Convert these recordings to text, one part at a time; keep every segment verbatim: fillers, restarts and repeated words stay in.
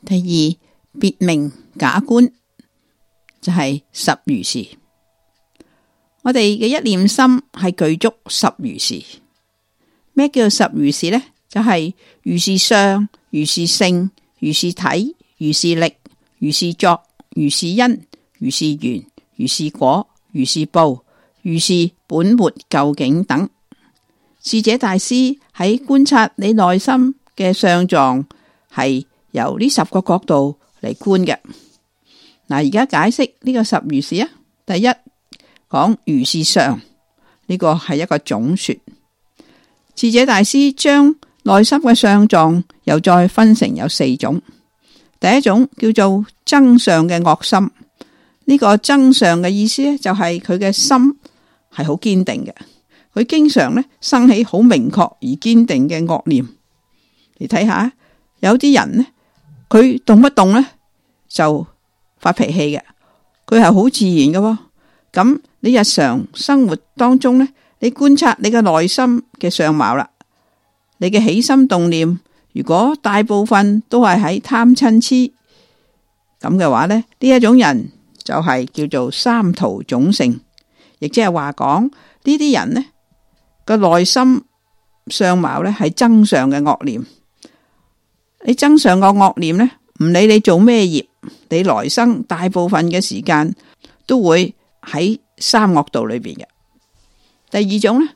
第二，別名假觀，就係十如是。我哋嘅一念心係具足十如是。咩叫十如是呢？就係、是、如是相、如是性、如是體、如是力、如是作、如是因、如是緣、如是果、如是報、如是本末究竟等。智者大師喺觀察你內心嘅相狀，係由呢十個角度嚟觀嘅。嗱，而家解釋呢個十如是啊。第一，講如是相，呢個係一個總說。智者大師將內心嘅相狀又再分成有四種。第一種叫做增上嘅惡心，呢個增上嘅意思咧，就係佢嘅心係好堅定嘅，佢經常咧生起好明確而堅定嘅惡念。你睇下，有啲人呢，佢動不動咧就發脾氣嘅，佢係好自然嘅。咁你日常生活當中咧，你觀察你嘅內心嘅相貌啦，你嘅起心動念，如果大部分都係喺貪嗔癡咁嘅話咧，呢一種人就係叫做三途種性，亦即係話講呢啲人呢個內心相貌咧係增上嘅惡念。你增上個惡念呢，唔理你做咩業，你來生大部分嘅時間都會喺三惡道裏邊嘅。第二種呢，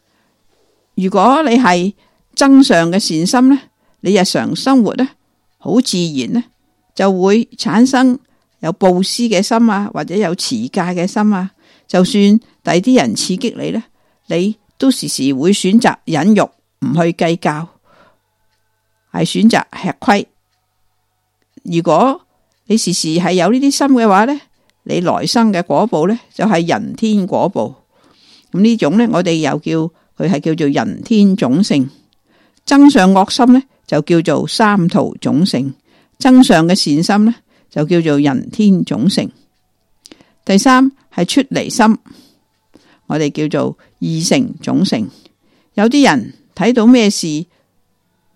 如果你係增上嘅善心呢，你日常生活呢好自然呢就會產生有布施嘅心啊，或者有持戒嘅心啊。就算第啲人刺激你呢，你都時時會選擇忍辱，唔去計較，係選擇吃虧。如果你時時係有呢啲心嘅話呢，你來生嘅果報呢，就係人天果報。咁呢種呢，我哋又叫佢係叫做人天種性。增上惡心呢，就叫做三途種性。增上嘅善心呢，就叫做人天種性。第三係出離心，我哋叫做二乘種性。有啲人睇到咩事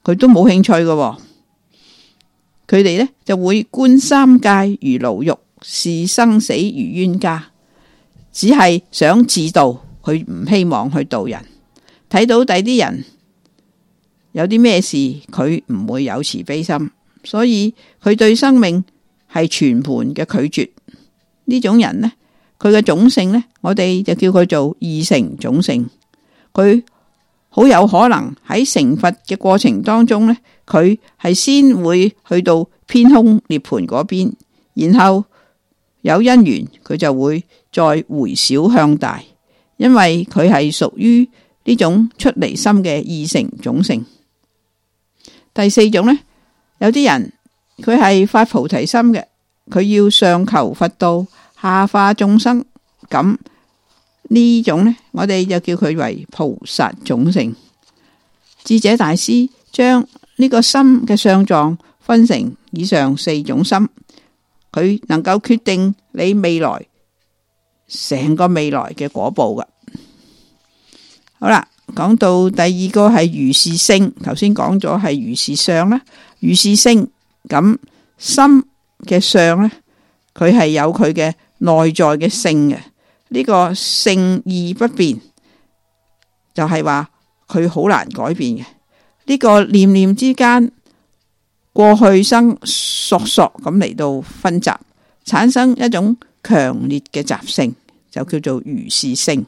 佢都冇興趣嘅，佢哋呢就會觀三界如牢獄，視生死如冤家，只係想自度，佢唔希望去度人。睇到第啲人有啲咩事，佢唔會有慈悲心，所以佢對生命係全盤嘅拒絕。呢種人呢，佢嘅種性呢，我哋就叫佢做二乘種性。佢好有可能喺成佛嘅過程當中呢，佢係先會去到偏空涅槃嗰邊，然後有因緣佢就會再回小向大，因為佢係屬於呢種出離心嘅二乘種性。第四種呢，有啲人佢係發菩提心嘅，佢要上求佛道，下化眾生。咁呢種呢，我哋就叫佢為菩薩種性。智者大師將呢個心嘅相狀分成以上四種心，佢能夠決定你未來成個未來嘅果報㗎。好啦，講到第二個係如是性，頭先講咗係如是相啦，如是性。咁心嘅相呢，佢係有佢嘅內在嘅性嘅。呢個性義不變，就係話佢好難改變嘅。呢個念念之間，過去生索索咁嚟到分集，產生一種強烈嘅習性，就叫做如是性。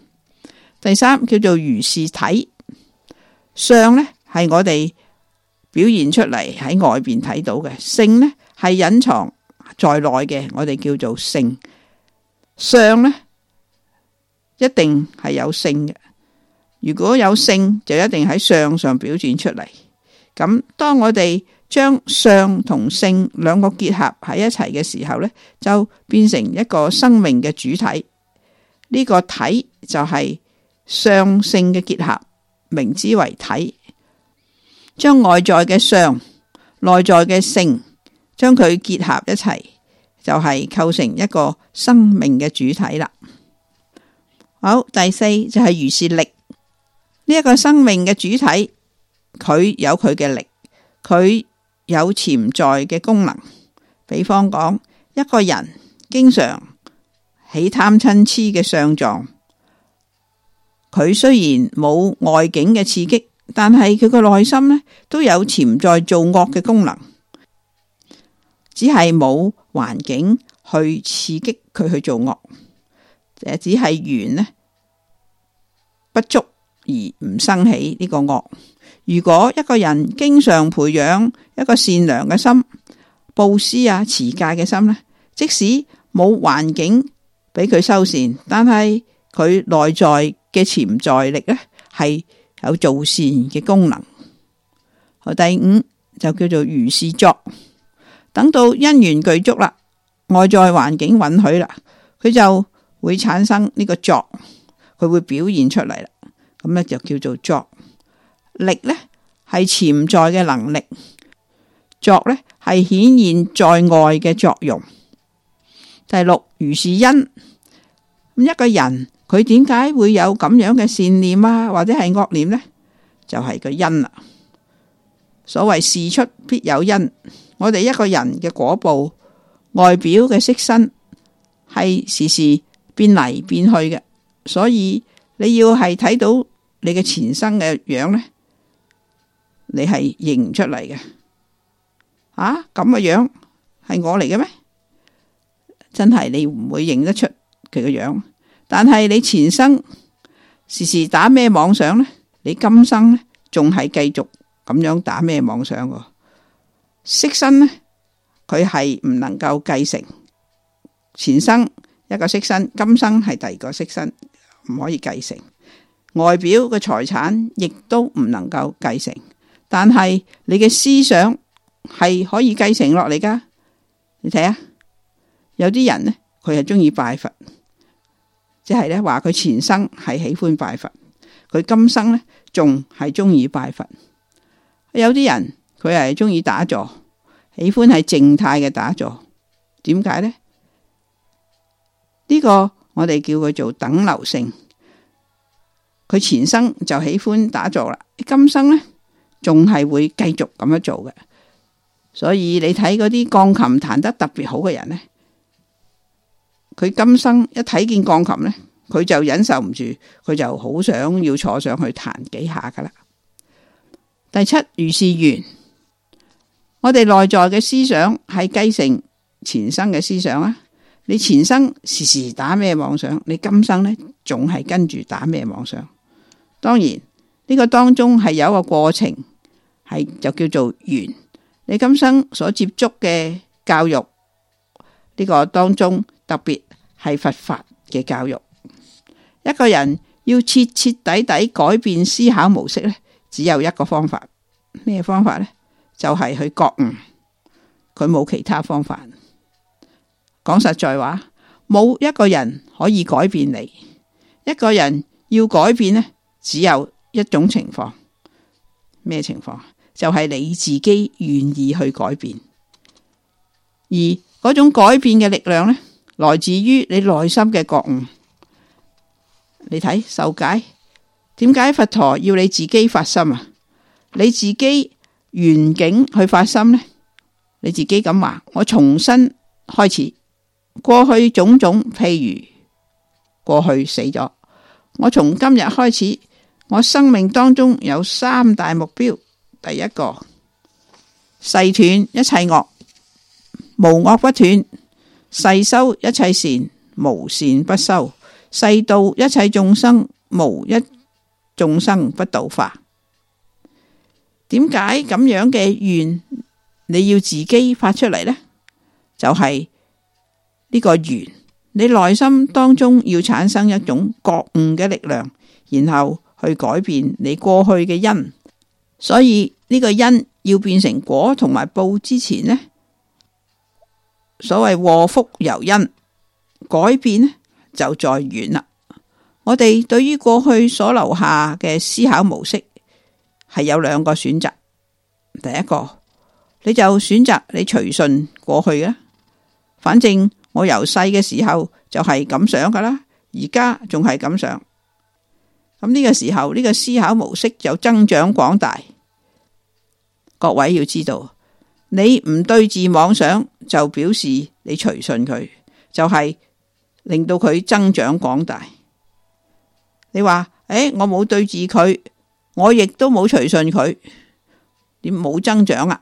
第三叫做如是體。相呢係我哋表現出嚟喺外邊睇到嘅，性呢係隱藏在內嘅，我哋叫做性。相呢一定係有性嘅，如果有性就一定喺相上表現出嚟。咁當我哋將相同性兩個結合喺一齊嘅時候呢，就變成一個生命嘅主體。呢個體就係相性嘅結合，名之為體。將外在嘅相、內在嘅性，將佢結合一齊，就係構成一個生命嘅主體啦。好，第四就係如是力。呢一個生命嘅主體，佢有佢嘅力，佢有潛在嘅功能，比方講，一個人經常起貪嗔癡嘅相狀，佢雖然冇外境嘅刺激，但係佢個內心呢都有潛在做惡嘅功能，只係冇環境去刺激佢去做惡，只係緣呢不足而唔生起呢個惡。如果一個人經常培養一個善良嘅心，布施啊持戒嘅心呢，即使冇環境俾佢修善，但係佢內在嘅潛在力呢係有做善嘅功能。第五就叫做如是作，等到因緣具足啦，外在環境允許啦，佢就會產生呢個作，佢會表現出嚟啦。咁呢就叫做作。力呢係潛在嘅能力，作呢係顯現在外嘅作用。第六，如是因。咁一個人佢點解會有咁樣嘅善念啊，或者係惡念呢？就係個因啦。所謂事出必有因，我哋一個人嘅果報，外表嘅色身係時時變嚟變去嘅，所以你要係睇到你嘅前生嘅樣呢，你係認唔出嚟嘅。啊，咁嘅樣係我嚟嘅咩？真係你唔會認得出佢嘅樣。但係你前生時時打咩妄想呢？你今生呢仲係繼續咁樣打咩妄想喎？色身呢，佢係唔能夠繼承，前生一個色身，今生係第二個色身，唔可以繼承。外表嘅財產亦都唔能夠繼承，但係你嘅思想係可以繼承落嚟噶。你睇下，有啲人呢，佢係中意拜佛，即係咧話佢前生係喜歡拜佛，佢今生呢仲係中意拜佛。有啲人佢係中意打坐，喜歡係靜態嘅打坐。點解呢？呢個我哋叫佢做等流性。佢前生就喜歡打坐啦，今生呢仲係會繼續咁樣做嘅。所以你睇嗰啲鋼琴彈得特別好嘅人呢，佢今生一睇見鋼琴呢，佢就忍受唔住，佢就好想要坐上去彈幾下噶啦。第七，如是緣。我哋內在嘅思想係繼承前生嘅思想啊。你前生時時打咩妄想，你今生呢仲係跟住打咩妄想。當然呢個當中係有一個過程，係就叫做緣。你今生所接觸嘅教育，呢個當中特別係佛法嘅教育。一個人要徹徹底底改變思考模式呢，只有一個方法。咩方法呢？就係去覺悟，佢冇其他方法。講實在話，冇一個人可以改變你。一個人要改變呢，只有一種情況。咩情況？就係你自己願意去改變。而嗰種改變嘅力量呢，來自於你內心嘅覺悟。你睇受解，點解佛陀要你自己發心啊？你自己緣境去發心呢？你自己咁話，我重新開始，過去種種，譬如過去死咗，我從今日開始，我生命當中有三大目標。第一個，誓斷一切惡，無惡不斷；誓修一切善，無善不修；誓度一切眾生，無一眾生不度化。點解咁樣嘅願你要自己發出嚟呢？就係呢個願，你內心當中要產生一種覺悟嘅力量，然後去改變你過去嘅因。所以呢個因要變成果同埋報之前呢，所謂禍福由因，改變呢就在緣啦。我哋對於過去所留下嘅思考模式係有兩個選擇。第一個，你就選擇你隨順過去啦，反正我由細嘅時候就係咁想噶啦，而家仲係咁想。咁呢個時候呢個思考模式就增長廣大。各位要知道，你唔對治妄想，就表示你隨順佢，就係、是、令到佢增長廣大。你話誒，我冇對治佢，我亦都冇隨順佢，點冇增長啊？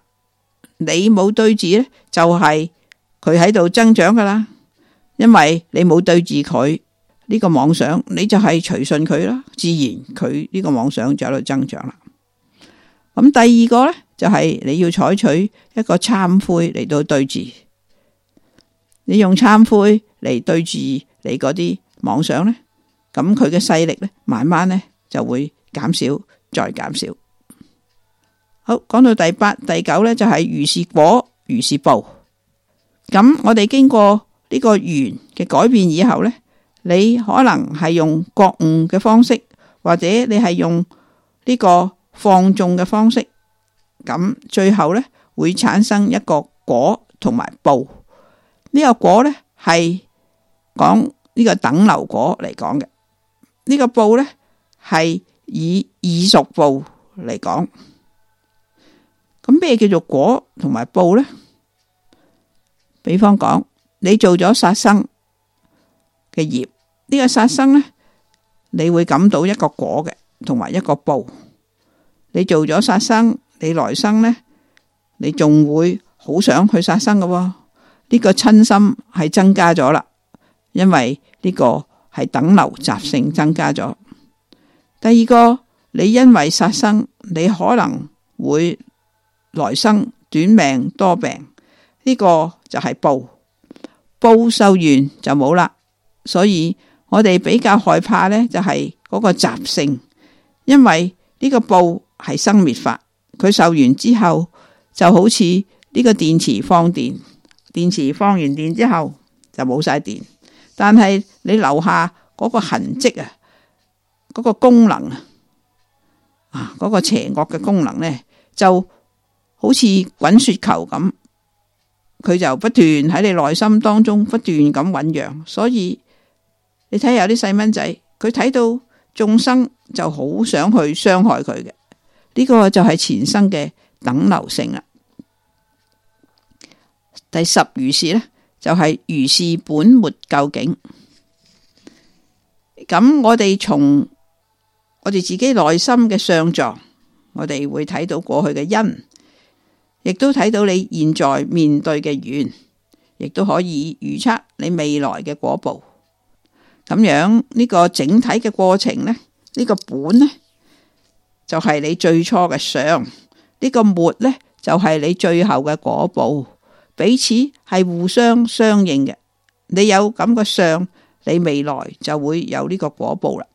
你冇對治呢，就係佢喺度增長噶啦，因為你冇對治佢呢個妄想，你就係隨順佢啦，自然佢呢個妄想就喺度增長啦。咁第二個呢，就係你要採取一個懺悔嚟到對治，你用懺悔嚟對治你嗰啲妄想呢，咁佢嘅勢力呢，慢慢呢就會減少，再減少。好，講到第八、第九呢，就係如是果，如是報。咁我哋經過呢個緣嘅改變以後呢，你可能係用覺悟嘅方式，或者你係用呢個放縱嘅方式，咁最後呢會產生一個果同埋報。呢個果呢係講呢個等流果嚟講嘅，呢個報呢係以異熟報嚟講。咁咩叫做果同埋報呢？比方講，你做咗殺生嘅業，呢個殺生呢，你會感到一個果嘅，同埋一個報。你做咗殺生，你來生呢，你仲會好想去殺生嘅喎。呢個瞋心係增加咗啦，因為呢個係等流習性增加咗。第二個，你因為殺生，你可能會來生短命多病，呢個就係報。報受完就冇啦，所以我哋比較害怕呢，就係嗰個習性，因為呢個報係生滅法，佢受完之後就好似呢個電池放電，電池放完電之後就冇晒電，但係你留下嗰個痕跡啊，嗰個功能啊，啊嗰個邪惡嘅功能呢，就好似滾雪球咁，佢就不斷喺你內心當中不斷咁醞釀。所以你睇下有啲細蚊仔，佢睇到眾生就好想去傷害佢嘅，呢個就係前生嘅等流性啦。第十如是呢，就係如是本沒究竟。咁我哋從我哋自己內心嘅相狀，我哋會睇到過去嘅因，亦都睇到你現在面對嘅緣，亦都可以預測你未來嘅果報。咁樣呢個整體嘅過程呢，呢個本呢就係你最初嘅相，呢個末呢就係你最後嘅果報，彼此係互相相應嘅。你有咁嘅相，你未來就會有呢個果報啦。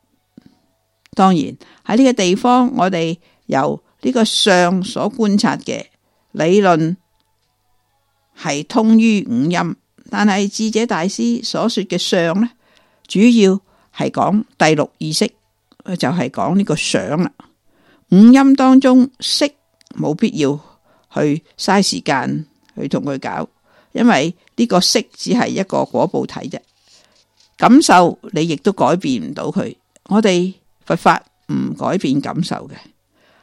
當然喺呢個地方，我哋由呢個相所觀察嘅理論係通於五陰，但係智者大師所說嘅相呢，主要係講第六意識，就係講呢個想啦。五陰當中色冇必要去嘥時間去同佢搞，因為呢個色只係一個果報體啫。感受你亦都改變唔到佢，我哋佛法唔改變感受嘅。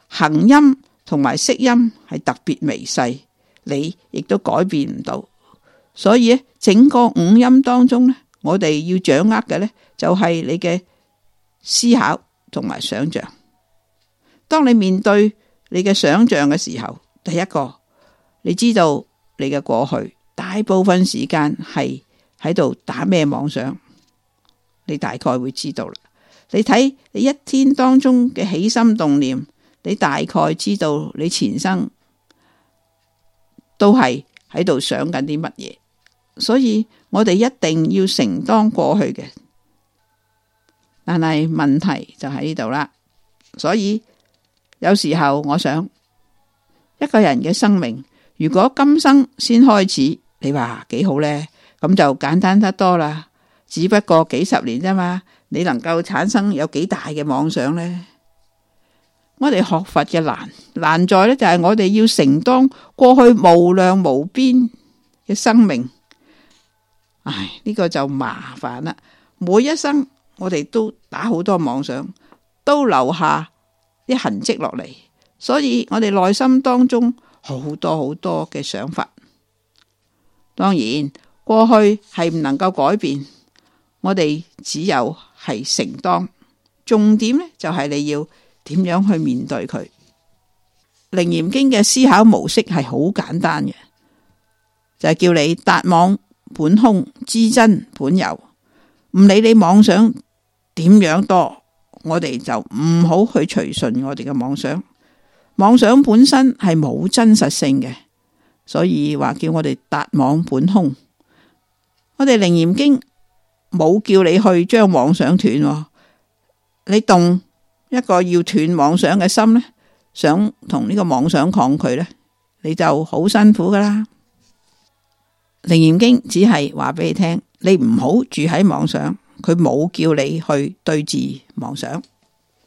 行音同埋識音係特別微細，你亦都改變唔到。所以整個五音當中呢，我哋要掌握嘅呢，就係你嘅思考同埋想象。當你面對你嘅想象嘅時候，第一個你知道你嘅過去大部分時間係喺度打咩妄想，你大概會知道啦。你睇你一天當中嘅起心動念，你大概知道你前生都係喺度想緊啲乜嘢。所以我哋一定要承當過去嘅，但係問題就喺呢度啦。所以有時候我想，一個人嘅生命如果今生先開始，你話幾好呢？咁就簡單得多啦。只不過幾十年啫嘛，你能夠產生有幾大嘅妄想呢？我哋學佛嘅難難在呢，就係我哋要承當過去無量無邊嘅生命。唉，呢個就麻煩啦。每一生我哋都打好多妄想，都留下啲痕跡落嚟，所以我哋內心當中好多好多嘅想法。當然過去係唔能夠改變，我哋只有係承擔。重點呢，就係你要點樣去面對佢。楞嚴經嘅思考模式係好簡單嘅，就係叫你達妄本空，知真本有。唔理你妄想點樣多，我哋就唔好去隨順我哋嘅妄想。妄想本身係冇真實性嘅，所以話叫我哋達妄本空。我哋楞嚴經冇叫你去將妄想斷，你動一個要斷妄想嘅心呢，想同呢個妄想抗拒呢，你就好辛苦噶啦。楞嚴經只係話俾你聽，你唔好住喺妄想，佢冇叫你去對治妄想。